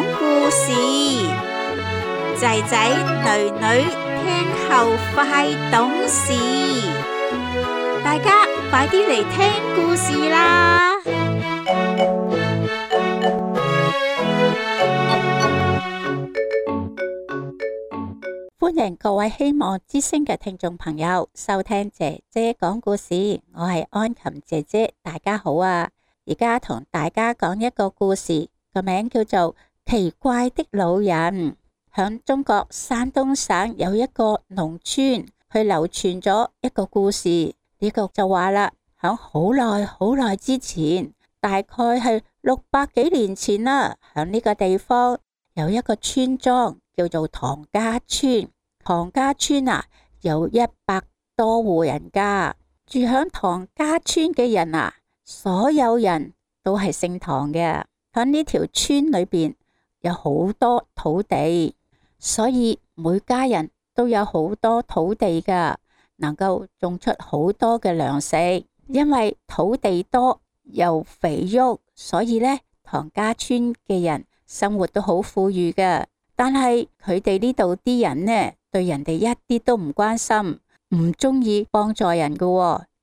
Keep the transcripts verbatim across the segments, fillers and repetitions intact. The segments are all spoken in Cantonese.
講故事，仔仔女女聽後快懂事，大家快啲嚟聽故事啦！歡迎各位希望之聲嘅聽眾朋友收聽姐姐講故事，我係安琴姐姐，大家好啊！而家同大家講一個故事，個名叫做奇怪的老人。響中國山東省有一個農村，佢流傳咗一個故事。呢個就話啦，響好耐好耐之前，大概係六百幾年前啦，響呢個地方有一個村莊叫做唐家村。唐家村啊，有一百多戶人家。住響唐家村嘅人啊，所有人都係姓唐嘅。響呢條村裏邊有好多土地，所以每家人都有好多土地噶，能夠種出好多嘅糧食。因為土地多又肥沃，所以呢，唐家村嘅人生活都好富裕嘅。但係佢哋呢度啲人呢，對人哋一啲都唔關心，唔中意幫助人噶，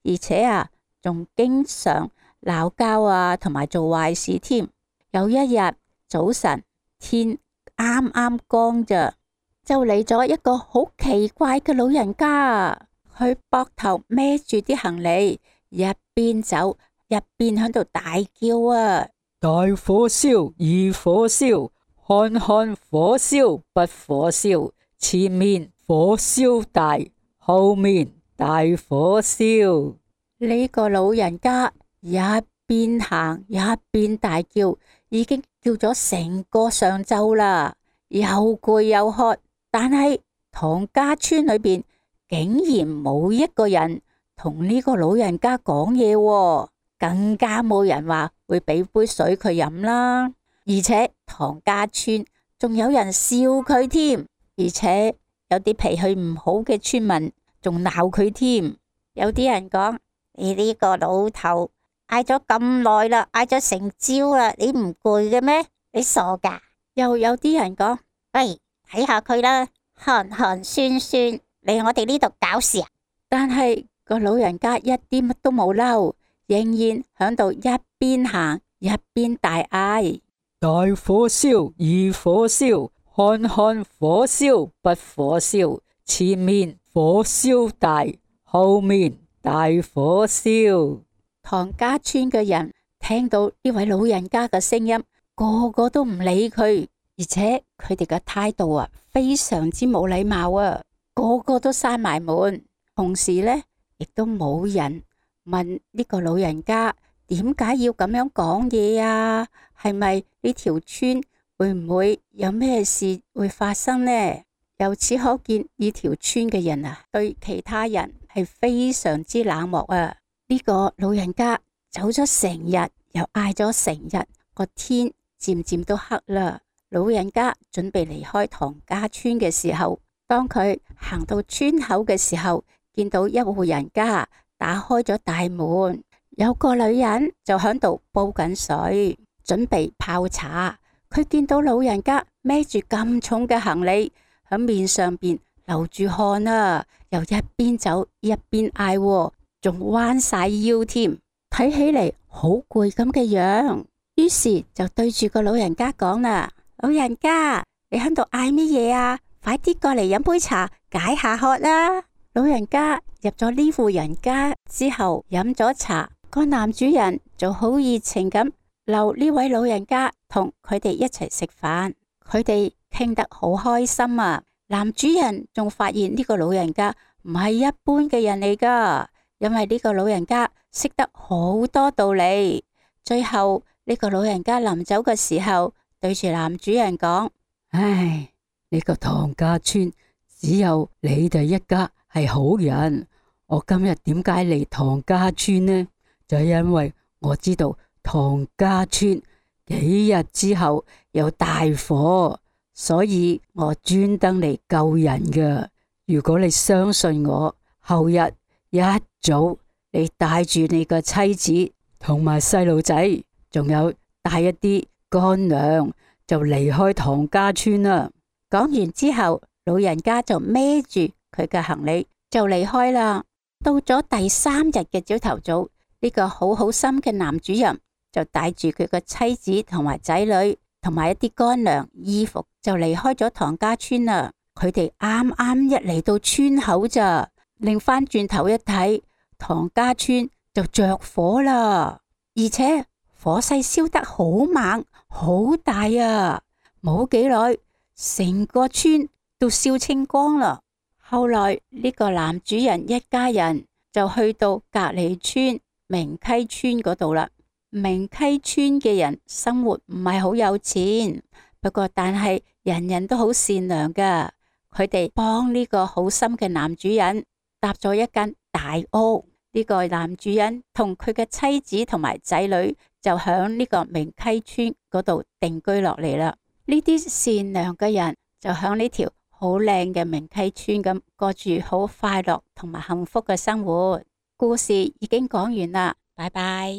而且啊，仲經常鬧交啊，同埋做壞事添。有一日早晨，天啱啱光咋，就嚟咗一個好奇怪嘅老人家，佢膊頭孭住啲行李，一邊走一邊喺度大叫啊！大火燒，二火燒，看看火燒不火燒，前面火燒大，後面大火燒。呢個老人家一邊行一邊大叫，已經叫咗成個上晝啦，又攰又渴。但係唐家村裏邊竟然冇一個人同呢個老人家講嘢，更加冇人話會俾杯水佢飲啦。而且唐家村仲有人笑佢添，而且有啲脾氣唔好嘅村民仲鬧佢添。有啲人講：你呢個老頭嗌咗咁耐啦，嗌咗成朝啦，你唔攰嘅咩？你傻噶？又有啲人講：喂，睇下佢啦，寒寒酸酸，嚟我哋呢度搞事啊！但係個老人家一啲乜都冇嬲，仍然響度一邊行一邊大嗌：大火燒，二火燒，看看火燒不火燒，前面火燒大，後面大火燒。唐家村嘅人聽到呢位老人家嘅聲音，個個都唔理佢，而且佢哋嘅態度啊，非常之冇禮貌啊，個個都閂埋門。同時呢，亦都冇人問呢個老人家點解要咁樣講嘢啊？係咪呢條村會唔會有咩事會發生呢？由此可見，呢條村嘅人啊，對其他人係非常之冷漠啊！呢個老人家走咗成日，又嗌咗成日，個天漸漸都黑啦。老人家準備離開唐家村嘅時候，當佢行到村口嘅時候，見到一戶人家打開咗大門，有個女人就喺度煲緊水，準備泡茶。佢見到老人家孭住咁重嘅行李，喺面上邊流住汗啊，又一邊走一邊嗌，仲彎晒腰添，睇起嚟好攰咁嘅樣。於是就對住個老人家講啦：老人家，你喺度嗌乜嘢啊？快啲過嚟飲杯茶解下渴啦！老人家入咗呢戶人家之後，飲咗茶，個男主人就好熱情咁留呢位老人家同佢哋一齊食飯，佢哋傾得好開心啊！男主人仲發現呢個老人家唔係一般嘅人嚟噶，因為呢個老人家識得好多道理。最後呢個老人家臨走嘅時候，對住男主人講：唉，呢個唐家村只有你哋一家係好人。我今日點解嚟唐家村呢？就係因為我知道唐家村幾日之後有大火，所以我專登嚟救人㗎。如果你相信我，後日一早你帶住你個妻子同埋細路仔，仲有帶一啲乾糧，就離開唐家村啦。講完之後，老人家就孭住佢嘅行李就離開啦。到咗第三日嘅朝頭早，呢個好好心嘅男主人就帶住佢嘅妻子同埋仔女同埋一啲乾糧衣服就離開咗唐家村啦。佢哋啱啱一嚟到村口咋，擰翻轉頭一睇，唐家村就着火啦，而且火勢燒得好猛好大啊！冇幾耐，成個村都燒清光啦。後來呢個男主人一家人就去到隔籬村明溪村嗰度啦。明溪村嘅人生活唔係好有錢，不過但係人人都好善良噶。佢哋幫呢個好心嘅男主人搭咗一間大屋。呢個男主人同佢嘅妻子同埋仔女就響呢個明溪村嗰度定居落嚟啦。呢啲善良嘅人就響呢條好靚嘅明溪村咁過住好快樂同埋幸福嘅生活。故事已經講完啦，拜拜。